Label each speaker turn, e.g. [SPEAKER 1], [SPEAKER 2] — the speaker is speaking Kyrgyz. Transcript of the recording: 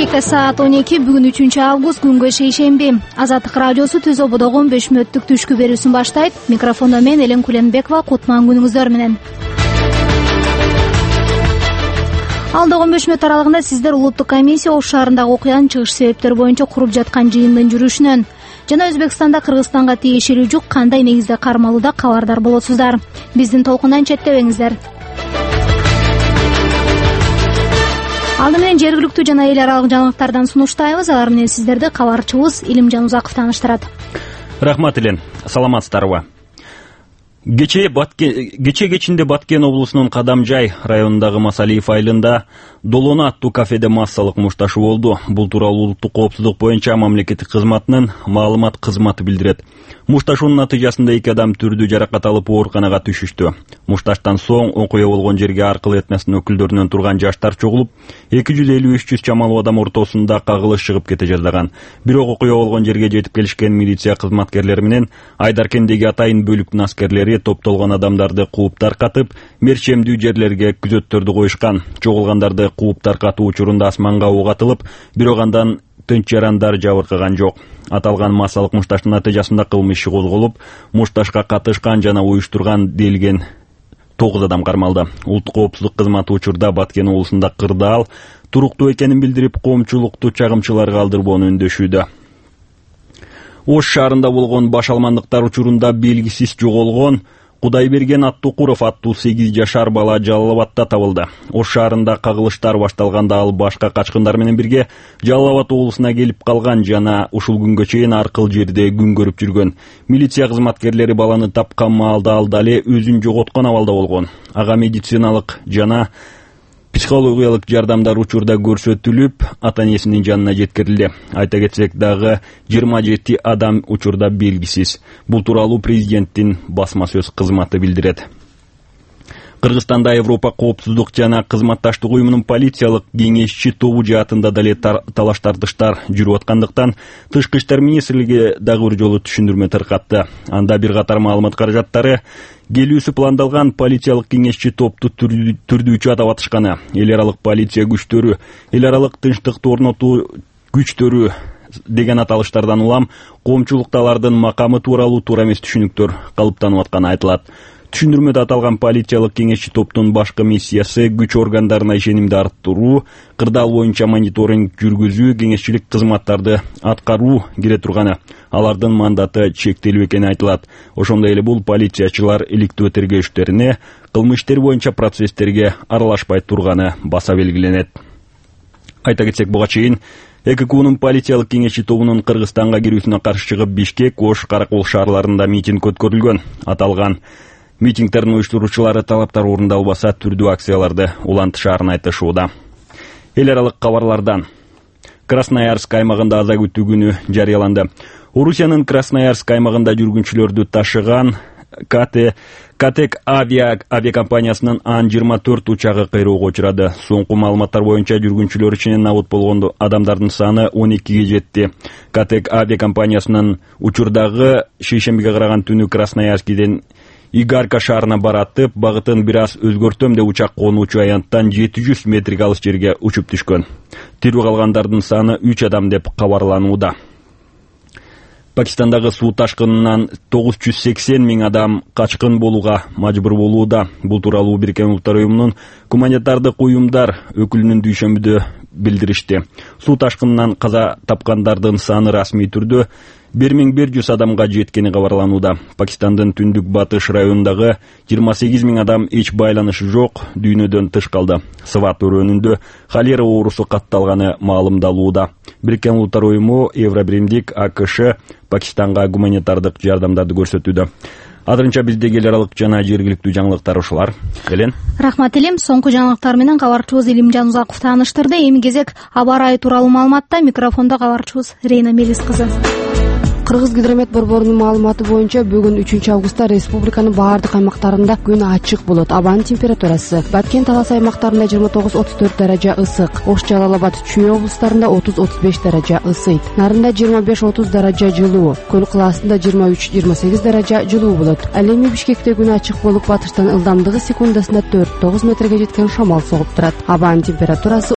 [SPEAKER 1] Кечке саат 12 бүгүн 3-август күнгө шейшемби. Азаттык радиосу Түз Ободогу 15 мүнөттүк түшкү берүүсүн баштайт. Микрофондо мен Элен Куленбекова. Кутман күнүңүздөр менен. Алдагы 15 мүнөт аралыгында сиздер улуттук комиссия Ош шаарындагы окуянын чыгыш себептери боюнча куруп жаткан жыйындын жүрүшүнөн жана Өзбекстанда Кыргызстанга тиешелүү жүк кандай негизде кармалууда кабардар болосуздар. Биздин толкундан четтебеңиздер. Алды менен жергиликтүү жана эл аралык жаңылыктардан сунуштайбыз. Алар менен сиздерди кабарчыбыз Илимжан Узаков тааныштырат.
[SPEAKER 2] Рахмат Элен, саламатсыздарбы? Кечинде Баткен облусунун Кадамжай районундагы Масалиев айылында Долона аттуу кафеде массалык мушташуу болду. Бул тууралуу улуттук коопсуздук боюнча мамлекеттик кызматтын маалымат кызматы билдирет. Мушташуунун натыйжасында 2 адам түрдүү жаракат алып ооруканага түшүштү. Мушташтан соң окуя болгон жерге аркыл этносунун өкүлдөрүнөн турган жаштар чогулуп, 250-300 чамалуу адам ортосунда кагылыш чыгып кете жаздаган. Бирок окуя болгон жерге жетип келишкен милиция кызматкерлери менен Айдаркендеги атайын бөлүктүн аскерлери топтолгон адамдарды кууп таркатып, мерчемдүү жерлерге күзөттөрдү коюшкан. Чогулгандарды кууп таркатуу учурунда асманга ок атылып, бирок андан тынч жарандар жабыркаган жок. Аталган массалык мушташтын натыйжасында кылмыш иши козголуп, мушташка катышкан жана уюштурган делген 9 адам кармалды. Улуттук коопсуздук кызматы учурда Баткен облусунда кырдаал туруктуу экенин билдирип, коомчулукту чагымчыларга алдырбоону үндөшүүдө. Ош шаарында болгон баш алмандыктар учурунда белгисиз жоголгон Кудайберген Аттукуров аттуу 8 жашар бала Жалал Абадта табылды. Ош шаарында кагылыштар башталганда ал башка качкындар менен бирге Жалал Абад облусуна келип калган жана ушул күнгө чейин аркыл жерде күн көрүп жүргөн. Милиция кызматкерлери баланы тапкан маалда ал дале өзүн жоготкон абалда болгон. Ага медициналык жана психологиялык жардамдар учурда көрсөтүлүп, ата-энесинин жанына жеткирилди. Айта кетсек дагы 27 адам учурда белгисиз. Бул тууралуу президенттин басма сөз кызматы билдирет. Кыргызстанда Европа коопсуздук жана кызматташтык уюмунун полициялык кеңешчи тобу жаатында дале талаш-тартыштар жүрүп аткандыктан Тышкы иштер министрлиги дагы бир жолу түшүндүрмө таркатты. Анда бир катар маалымат каражаттары келүүсү пландалган полициялык кеңешчи топту түрдүүчү атап атышканы. Эл аралык полиция күчтөрү, эл аралык тынчтыкты орнотуу күчтөрү деген аталыштардан улам коомчулукта алардын макамы тууралуу туура эмес түшүнүктөр калыптанып атканы айтылат. Түшүндүрмөдө аталган полициялык кеңешчи топтун башкы миссиясы күч органдарына ишенимди арттыруу, кырдаал боюнча мониторинг жүргүзүү, кеңешчилик кызматтарды аткаруу кире турганы. Алардын мандаты чектелүү экени айтылат. Ошондой эле бул полициячылар иликтөө тергөөчтөрүнө кылмыш иштери боюнча процесстерге аралашпай турганы баса белгиленет. Айта кетсек, буга чейин ЭККУнун полициялык кеңешчи тобунун Кыргызстанга кирүүсүнө каршы чыгып Бишкек, Ош, Каракол шаарларында митинг өткөрүлгөн. Аталган митингдердин уюштуруучулары талаптар орундалбаса түрдүү акцияларды улантышаарын айтышууда. Эл аралык кабарлардан Красноярск аймагында аза күтүү күнү жарыяланды. Орусиянын Красноярск аймагында жүргүнчүлөрдү ташыган Катек авиакомпаниясынын Ан-24 учагы кыйроого учурады. Соңку маалыматтар боюнча жүргүнчүлөр ичинен набыт болгон адамдардын саны 12ге жетти. Катек авиакомпаниясынын учурдагы шейшембиге караган түнү Красноярскиден Игарка шаарына баратып, багытын бир аз өзгөртөм деп учак конуучу аянттан 700 метрге алыс жерге учуп түшкөн. Тирүү калгандардын саны 3 адам деп кабарланууда. Пакистандагы суу ташкынынан 980 миң адам качкын болууга мажбур болууда. Бул тууралуу Бириккен Улуттар уюмунун гуманитардык уюмдар өкүлүнүн дүйшөмбүдө билдиришти. Суу ташкынынан каза тапкандардын саны расмий түрдө 1100 адамга жеткени кабарланууда. Пакистандын түндүк батыш районундагы 28 миң адам эч байланышы жок дүйнөдөн тыш калды. Сват өрөөнүндө холера оорусу катталганы маалымдалууда. Бириккен Улуттар уюму Евробиримдик АКШ Пакистанга гуманитардык жардамдарды көрсөтүүдө. Азырынча биздеги эл аралык жана жергиликтүү жаңылыктар ушулар. Элен.
[SPEAKER 1] Рахмат Элим. Соңку жаңылыктар менен кабарчыбыз Илимжан Узаков тааныштырды. Эми кезек аба ырайы тууралуу маалыматта. Микрофондо кабарчыбыз Рейна Мелис кызы.
[SPEAKER 3] Кыргызгидромет борборунун маалыматы боюнча бүгүн 3-августта республиканын баардык аймактарында күн ачык болот. Абанын температурасы Баткен Талас аймактарында 29-34 даража ысык, Ош, Жалал Абад, Чүй облустарында 30-35 даража ысыйт. Нарында 25-30 даража жылуу, Көл кылаасында 23-28 даража жылуу болот. Ал эми Бишкекте күн ачык болуп, батыштан ылдамдыгы секундасына 4-9 метрге жеткен шамал согуп турат. Абанын температурасы